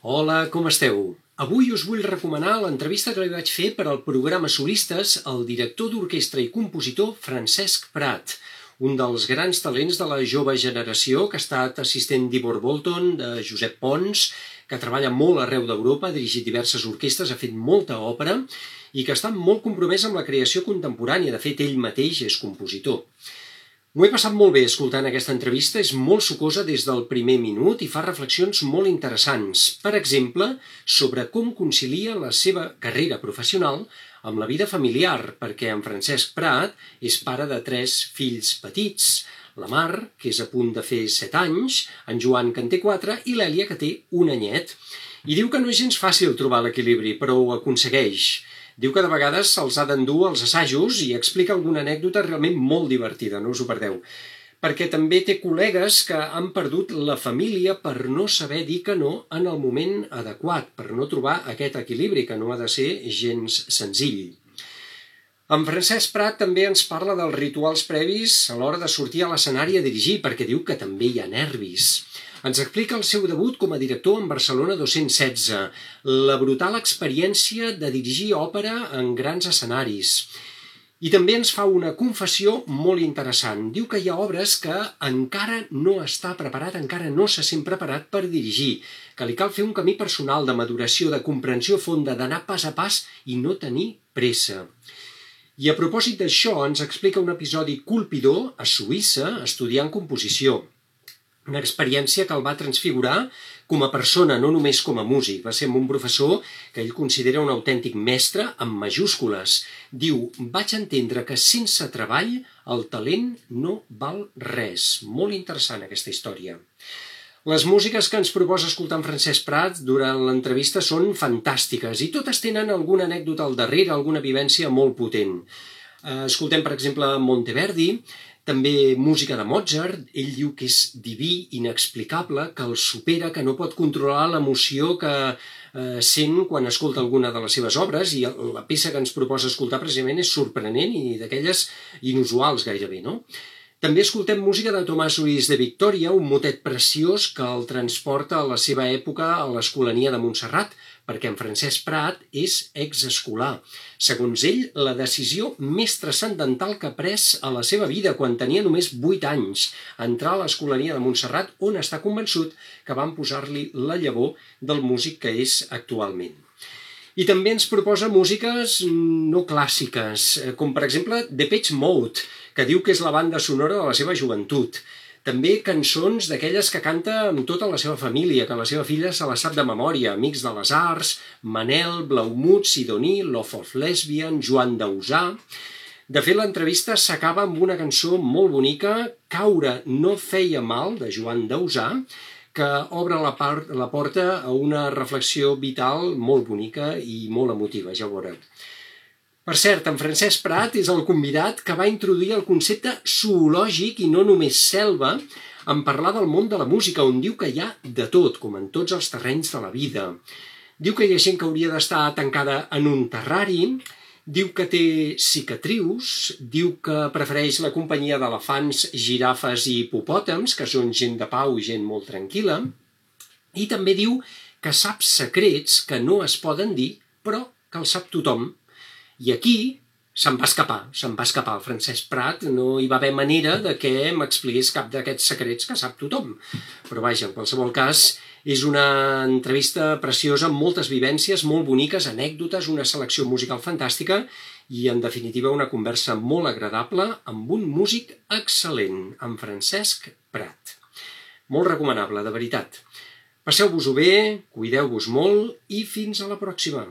Hola, com esteu? Avui us vull recomanar l'entrevista que li vaig fer per al programa Solistes al director d'orquestra i compositor Francesc Prat, un dels grans talents de la jove generació que ha estat assistent d'Ivor Bolton, de Josep Pons, que treballa molt arreu d'Europa, ha dirigit diverses orquestres, ha fet molta òpera i que està molt compromès amb la creació contemporània. De fet, ell mateix és compositor. M'ho he passat molt bé escoltant aquesta entrevista, és molt sucosa des del primer minut i fa reflexions molt interessants. Per exemple, sobre com concilia la seva carrera professional amb la vida familiar, perquè en Francesc Prat és pare de 3 fills petits, la Mar, que és a punt de fer 7 anys, en Joan, que en té 4, i l'Èlia, que té 1 anyet. I diu que no és gens fàcil trobar l'equilibri, però ho aconsegueix. Diu que de vegades se'ls ha d'endur als assajos i explica alguna anècdota realment molt divertida, no us ho perdeu. Perquè també té col·legues que han perdut la família per no saber dir que no en el moment adequat, per no trobar aquest equilibri, que no ha de ser gens senzill. En Francesc Prat també ens parla dels rituals previs a l'hora de sortir a l'escenari a dirigir, perquè diu que també hi ha nervis. Ens explica el seu debut com a director en Barcelona 216, la brutal experiència de dirigir òpera en grans escenaris. I també ens fa una confessió molt interessant. Diu que hi ha obres que encara no està preparat, encara no se sent preparat per dirigir, que li cal fer un camí personal de maduració, de comprensió fonda, d'anar pas a pas i no tenir pressa. I a propòsit d'això ens explica un episodi colpidor a Suïssa estudiant composició. Una experiència que el va transfigurar com a persona, no només com a músic. Va ser amb un professor que ell considera un autèntic mestre amb majúscules. Diu, vaig entendre que sense treball el talent no val res. Molt interessant aquesta història. Les músiques que ens proposa escoltar en Francesc Prat durant l'entrevista són fantàstiques i totes tenen alguna anècdota al darrere, alguna vivència molt potent. Escoltem, per exemple, Monteverdi, també música de Mozart. Ell diu que és diví, inexplicable, que el supera, que no pot controlar l'emoció que sent quan escolta alguna de les seves obres, i la peça que ens proposa escoltar precisament és sorprenent i d'aquelles inusuals gairebé, no? També escoltem música de Tomàs Ulls de Victòria, un motet preciós que el transporta a la seva època a l'Escolania de Montserrat, perquè en Francesc Prat és exescolar. Segons ell, la decisió més transcendental que ha pres a la seva vida quan tenia només 8 anys, entrar a l'Escolania de Montserrat, on està convençut que van posar-li la llavor del músic que és actualment. I també ens proposa músiques no clàssiques, com per exemple Depeche Mode, que diu que és la banda sonora de la seva joventut. També cançons d'aquelles que canta amb tota la seva família, que la seva filla se la sap de memòria, Amics de les Arts, Manel, Blaumut, Sidoní, Love of Lesbian, Joan Dausà. De fet, l'entrevista s'acaba amb una cançó molt bonica, Caure no feia mal, de Joan Dausà, que obre la porta a una reflexió vital molt bonica i molt emotiva, ja ho veureu. Per cert, en Francesc Prat és el convidat que va introduir el concepte zoològic i no només selva en parlar del món de la música, on diu que hi ha de tot, com en tots els terrenys de la vida. Diu que hi ha gent que hauria d'estar tancada en un terrari, diu que té cicatrius, diu que prefereix la companyia d'elefants, girafes i hipopòtams, que són gent de pau i gent molt tranquil·la, i també diu que sap secrets que no es poden dir, però que els sap tothom. I aquí se'n va escapar el Francesc Prat, no hi va haver manera de que m'expliqués cap d'aquests secrets que sap tothom. Però vaja, en qualsevol cas, és una entrevista preciosa amb moltes vivències, molt boniques, anècdotes, una selecció musical fantàstica i, en definitiva, una conversa molt agradable amb un músic excel·lent, en Francesc Prat. Molt recomanable, de veritat. Passeu-vos-ho bé, cuideu-vos molt i fins a la pròxima.